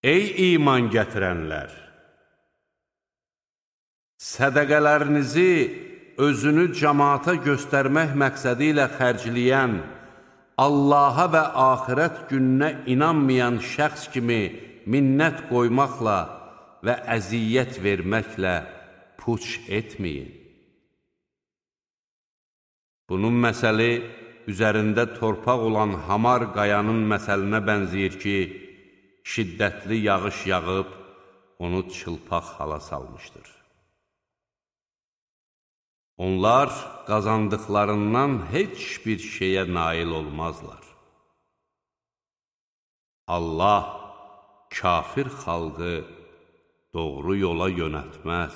Ey iman gətirənlər! Sədəqələrinizi özünü cəmaata göstərmək məqsədi ilə xərcləyən, Allaha və axirət gününə inanmayan şəxs kimi minnət qoymaqla və əziyyət verməklə puç etməyin. Bunun məsəli üzərində torpaq olan hamar qayanın məsəlinə bənzəyir ki, şiddətli yağış yağıb, onu çılpaq hala salmışdır. Onlar qazandıqlarından heç bir şeyə nail olmazlar. Allah kafir xalqı doğru yola yönəltməz.